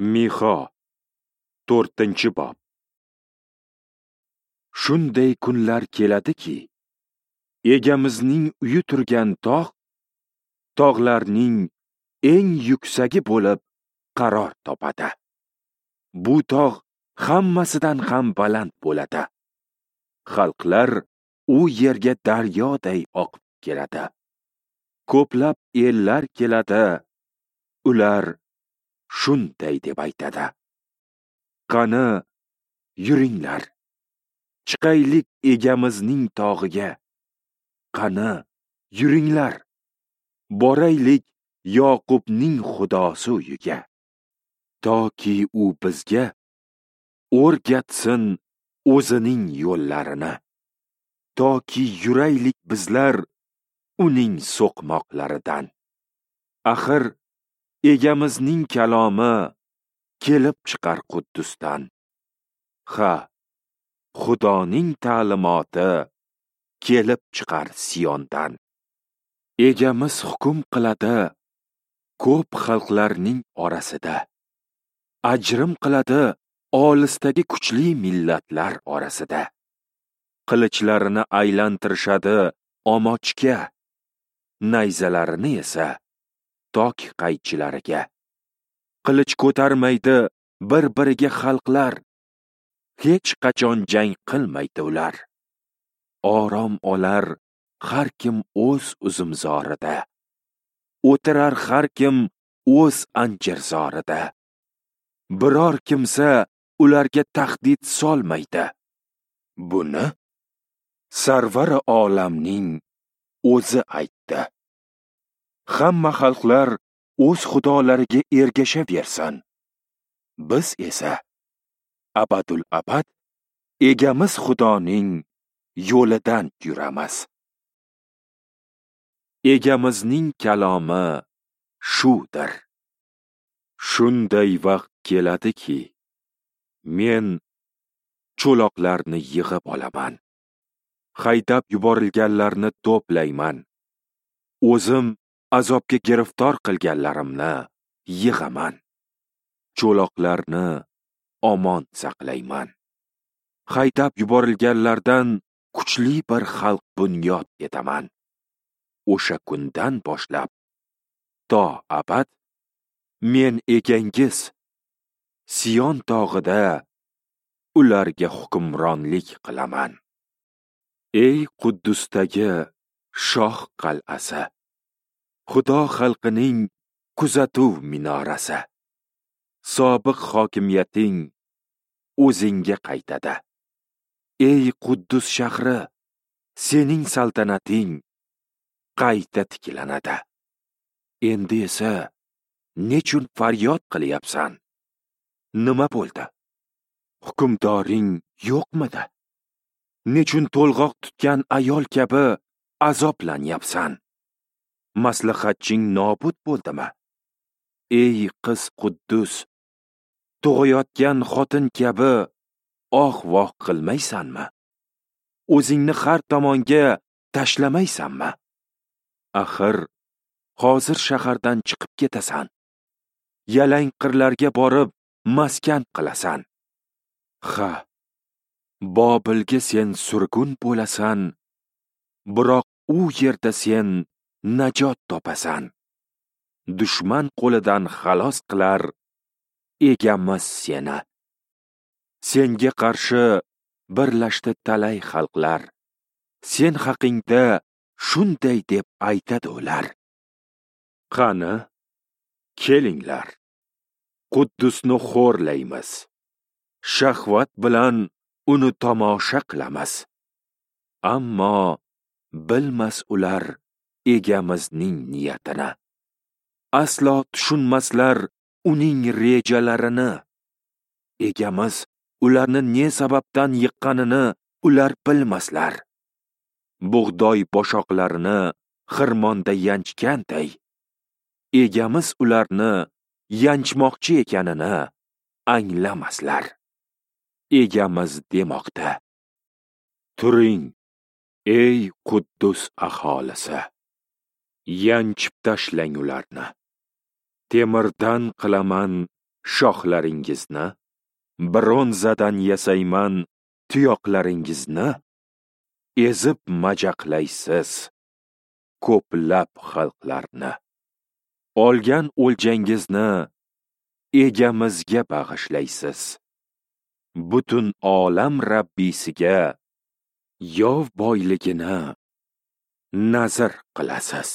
Mixa 4-bob. Shunday kunlar keladiki, Egamizning uyi turgan tog', tog'larning eng yuksagi bo'lib qaror topadi. Bu tog' hammasidan ham baland bo'ladi. Xalqlar u yerga daryoday oqib keladi. Ko'plab ellar keladi, ular shunday deb aytadi: Qani, yuringlar, chiqaylik Egamizning tog'iga. Qani, yuringlar, boraylik Yoqubning Xudosi uyiga. Toki u bizga o'rgatsin o'zining yo'llarini. Toki yuraylik bizlar uning so'qmoqlaridan. Axir Egamizning kalomi kelib chiqar Quddusdan. Ha, Xudoning ta'limoti kelib chiqar Siyondan. Egamiz hukm qiladi ko'p xalqlarning orasida. Ajrim qiladi olisdagi kuchli millatlar orasida. Qilinchlarini aylantirishadi omochga, nayzalarini esa tok qaychilariga. Qilich ko'tarmaydi bir-biriga xalqlar, hech qachon jang qilmaydi ular. Orom olar har kim o'z uzumzorida, o'tirar har kim o'z anjirzorida. Biror kimsa ularga tahdid solmaydi. Buni Sarvari olamning o'zi aytdi. Hamma xalqlar o'z xudolariga ergashaversin. Biz esa abadul abad Egamiz Xudoning yo'lidan yuramiz. Egamizning kalomi shudir. Shunday vaqt keladiki, men cho'loqlarni yig'ib olaman. Haydab yuborilganlarni to'playman. O'zim azobga giriftor qilganlarimni yig'aman. Cho'loqlarni omon saqlayman. Haydab yuborilganlardan kuchli bir xalq bunyod etaman. O'sha kundan boshlab to abad men egangiz Siyon tog'ida ularga hukmronlik qilaman. Ey Quddusdagi shoh qal'asi, Xudo xalqining kuzatuv minorasi, sobiq hokimiyating o'zingga qaytadi. Ey Quddus shahri, sening saltanating qayta tiklanadi. Endi esa nechun faryod qilyapsan? Nima bo'ldi? Hukmdoring yo'qmidi? Nechun to'lg'oq tutgan ayol kabi azoblanyapsan? Maslahatching nobud bo'ldimi? Ey qiz Quddus, tug'ayotgan xotin kabi oh-voh qilmaysanmi? O'zingni har tomonga tashlamaysanmi? Axir hozir shahardan chiqib ketasan. Yalang qirlarga borib maskan qilasan. Ha, Bobilga sen surgun bo'lasan, biroq u yerda sen najot topasan. Dushman qo'lidan xalos qilar Egamiz seni. Senga qarshi birlashdi talay xalqlar. Sen haqingda shunday deb aytadi ular: Qani, kelinglar, Quddusni xo'rlaymiz. Shahvat bilan uni tomosha qilamiz. Ammo bilmas ular Egamizning niyatini. Aslo tushunmaslar uning rejalarini. Egamiz ularni ne sababdan yiqqanini ular bilmaslar. Bug'doy boshoqlarini xirmonda yanchganday, Egamiz ularni yanchmoqchi ekanini anglamaslar. Egamiz demoqda: Turing, ey Quddus aholisi, yanchib tashlang ularni. Temirdan qilaman shoxlaringizni, bronzadan yasayman tuyoqlaringizni, ezib majaqlaysiz ko'plab xalqlarni. Olgan o'ljangizni egamizga bag'ishlaysiz. Butun olam Rabbisiga yov boyligini nazr qilasiz.